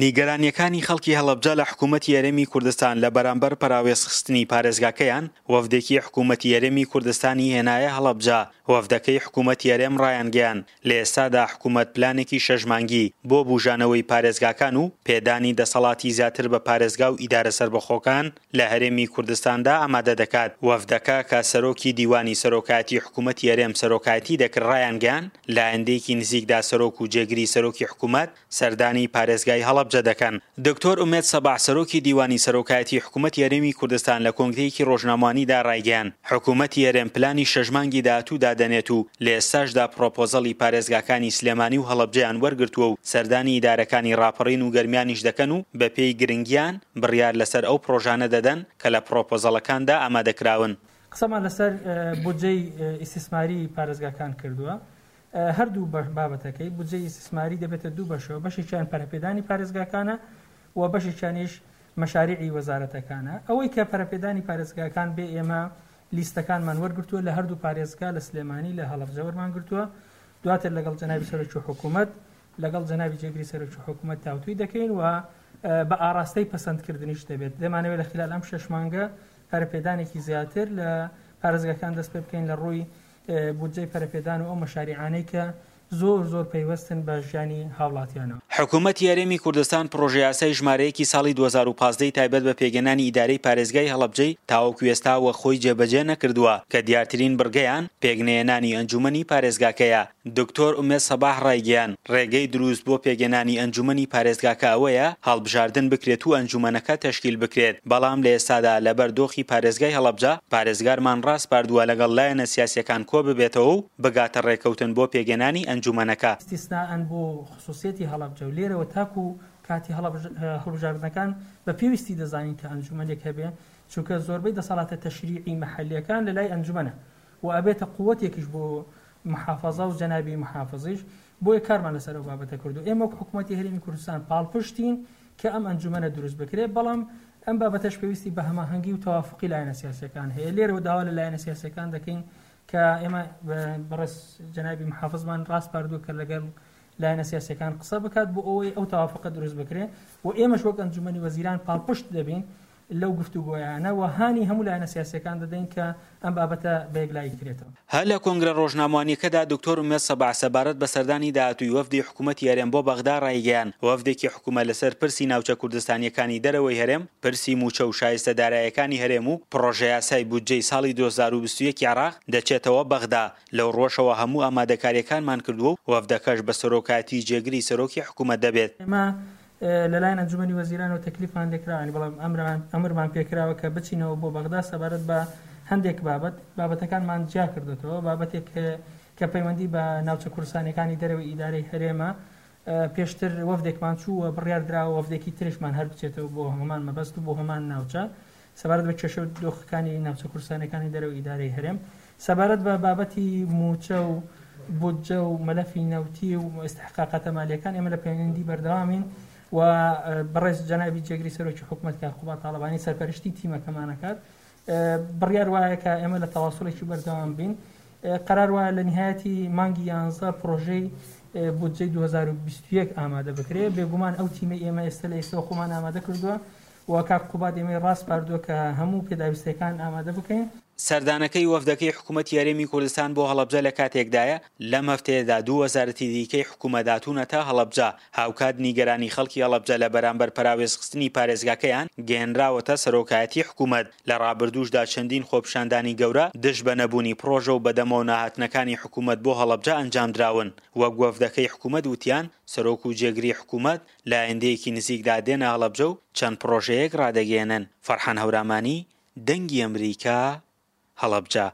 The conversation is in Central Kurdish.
نیگەرانییەکانی خەڵکی هەڵەبجە لە حکوومەتی هەرێمی کوردستان لە بەرامبەر پەراوێزخستنی پارێزگاکەیان، وەفدێکی حکوومەتی هەرێمی کوردستانی هێنایە هەڵەبجە، وەفدەکەی حکوومەتی هەرێم ڕایانگەیاند، لە ئێستادا حکوومەت پلانێکی شەش مانگی بۆ بووژانەوەی پارێزگاکان و پێدانی دەسەڵاتی زیاتر بە پارێزگا و ئیدارە سەربەخۆکان لە هەرێمی کوردستاندا ئامادە دەکات. وەفدەکە کە سەرۆکی دیوانی سەرۆکایەتی حکوومەتی هەرێم سەرۆکایەتی دەکرد ڕایانگەیاند، لە ئایندەیەکی نزیکدا سەرۆک و جێگری سەرۆکی حکوومەت سەردانی پارێزگای هەڵەبجە دەکەن. دکتۆر ئومێد سەباح سەرۆکی دیوانی سەرۆکایەتی حکومەتی هەرێمی کوردستان لە کۆنگرەیەکی ڕۆژنامەوانیدا ڕایگەیاند، حکومەتی هەرێم پلانی شەش مانگی داهاتوو دادەنێت و لە ئێستاشدا پڕۆپۆزەڵی پارێزگاکانی سلێمانی و هەڵەبجەیان وەرگرتووە و سەردانی ئیدارەکانی ڕاپەڕین و گەرمیانیش دەکەن و بەپێی گرنگیان بڕیار لەسەر ئەو پڕۆژانە دەدەن کە لە پڕۆپۆزەڵەکاندا ئامادەکراون. قسەمان لەسەر بودجەی ئیستیسماری پارێزگاکان کردووە. هەردوو بابەتەکەی بودجەی ئیستیسماری دەبێتە دوو بەشەوە، بەشێکیان پەرەپێدانی پارێزگاکانە و بەشێکیانیش مەشاریعی وەزارەتەکانە. ئەوەی کە پەرەپێدانی پارێزگاکان بێ ئێمە لیستەکانمان وەرگرتووە لە هەردوو پارێزگا لە سلێمانی لە هەڵەبجە وەرمان گرتووە، دواتر لەگەڵ جەنابی سەرۆکی حکوومەت لەگەڵ جەنابی جێگری سەرۆکی حکوومەت تاوتوی دەکەین و بە ئاراستەی پەسەندکردنیش دەبێت. دەمانەوێت لە خلال ئەم شەش مانگە پەرەپێدانێکی زیاتر لە پارێزگاکان دەست پێ بکەین لە ڕووی بودجەی پەرەپێدان و ئەو مەشاریعانەی کە زۆر زۆر پەیوەستن بە ژیانی هاوڵاتیانەوە. حکومەتی هەرێمی کوردستان پڕۆژەیاسای ژمارە یەکی ساڵی 2015 ی تایبەت بە پێکهێنانی ئیدارەی پارێزگای هەڵەبجەی تاوەکو ئێستا وەک خۆی جێبەجێ نەکردووە کە دیارترین بڕگەیان پێکنەهێنانی ئەنجومەنی پارێزگاکەیە. دکتۆر ئومێد سەباح ڕایگەیاند، ڕێگەی دروست بۆ پێکهێنانی ئەنجومەنی پارێزگاکە ئەوەیە هەڵبژاردن بکرێت و ئەنجومەنەکە تەشکیل بکرێت، بەڵام لە ئێستادا لەبەر دۆخی پارێزگای هەڵەبجە پارێزگارمان ڕاسپاردووە لەگەڵ لایەنە سیاسییەکان کۆببێتەوە و بگاتە ڕێککەوتن بۆ پێکهێنانی ئەنجومەنەکە. ئیستیسنائەن بۆ خسوسیەتی هەڵەبجە و لێرەوە تاکو کاتی هەڵبژاردنەکان بە پێویستی دەزانین کە ئەنجومەنێک هەبێ، چونکە زۆربەی دەسەڵاتە تەشریعی مەحەلییەکان لە لای ئەنجومەنە و ئەبێتە قوەتێکیش بۆ محافەزە و جەنابی محافزیش، بۆیە کارمان لەسەر ئەو بابەتە کردو ئێمە وەک حکومەتی هەرێمی کوردستان پاڵپشتین کە ئەم ئەنجومەنە دروست بکرێت، بەڵام ئەم بابەتەش پێویستی بە هەماهەنگی و تەوافقی لایەنە سیاسیەکان هەیە. لێرەوە داوا لە لایەنە سیاسیەکان دەکەین کە ئێمە بەڕێز جەنابی محافزمان ڕاسپاردووە کە لەگەڵ لایەنە سیاسیەکان قسە بکات بۆ ئەوەی ئەو تەوافقە دروست بکرێت و ئێمەش وەک ئەنجومەنی وەزیران پاڵپشت دەبین لەو گفتوگۆیانە و هانی هەموو لایەنە سیاسییەکان دەدەین کە ئەم بابەتە بە یەکلایی کرێتەوە. هەر لە کۆنگرە ڕۆژنامەوانییەکەدا دکتۆر ئومێد سەباح سەبارەت بە سەردانی داهاتووی وەفدی حکوومەتی هەرێم بۆ بەغدا ڕایگەیاند، وەفدێکی حکوومەت لەسەر پرسی ناوچە کوردستانییەکانی دەرەوەی هەرێم، پرسی مووچە و شایستە دارایەکانی هەرێم و پڕۆژەیاسای بودجەی ساڵی 2021 عێراق دەچێتەوە بەغدا، لەو ڕووەشەوە هەموو ئامادەکارییەکانمان کردووە و وەفدەکەش بە سەرۆکایەتی جێگری سەرۆکی حکوومەت دەبێت. ئێمە لەلایەن ئەنجومەنی وەزیرانەوە تەکلیفمان لێکراوە، یانی بەڵام ئەمرمان ئەمرمان پێکراوە کە بچینەوە بۆ بەغدا سەبارەت بە هەندێک بابەت، بابەتەکانمان جیا کردۆتەوە، بابەتێک کە پەیوەندی بە ناوچە کوردستانیەکانی دەرەوەی ئیدارەی هەرێمە، پێشتر وەفدێکمان چوو و بڕیار دراوە وەفدێکی تریشمان هەر بچێتەوە بۆ هەمان مەبەست و بۆ هەمان ناوچە سەبارەت بە کێشە و دۆخەکانی ناوچە کوردستانیەکانی دەرەوەی ئیدارەی هەرێم. سەبارەت بە بابەتی مووچە و بودجە و مەلەفی نەوتی و ئیستحقاقاتە مالیەکان ئێمە لە پەیوەندی بەردەوامین و بەڕێز جەنابی جێگری سەرۆکی حکومەت کاک قوباد تاڵەبانی سەرپەرشتی تیمەکەمان ئەکات. بڕیار وایە کە ئێمە لە تەواصلێکی بەردەوام بین. قەرار وایە لە نهایەتی مانگی یانزە پرۆژەی بودجەی 2021 ئامادە بکرێت. بێگومان ئەو تیمەی ئێمە ئێستا لە ئێستەوە خۆمان ئامادە کردووە و کاک قوباد ئێمەی ڕاسپاردووە کە هەموو پێداویستیەکان ئامادە بکەین. سەردانەکەی وەفدەکەی حکومەتی هەرێمی کوردستان بۆ هەڵەبجە لە کاتێکدایە، لەم هەفتەیەدا دوو وەزارەتی دیکەی حکومەت هاتوونەتە هەڵەبجە، هاوکات نیگەرانی خەڵکی هەڵەبجە لە بەرامبەر پەراوێزخستنی پارێزگاکەیان گەیەنراوەتە سەرۆکایەتی حکومەت، لە ڕابردووشدا چەندین خۆپیشاندانی گەورە دژ بە نەبوونی پڕۆژە و بەدەمەوە نەهاتنەکانی حکومەت بۆ هەڵەبجە ئەنجامدراون، وەک وەفدەکەی حکومەت وتیان، سەرۆک و جێگری حکومەت لە ئایندەیەکی نزیکدا دێنە هەڵەبجە و چەند پڕۆژەیەک ڕادەگەیەنن. فەرحان هەورامانی، دەنگی ئەمریکا، هەڵەبجە.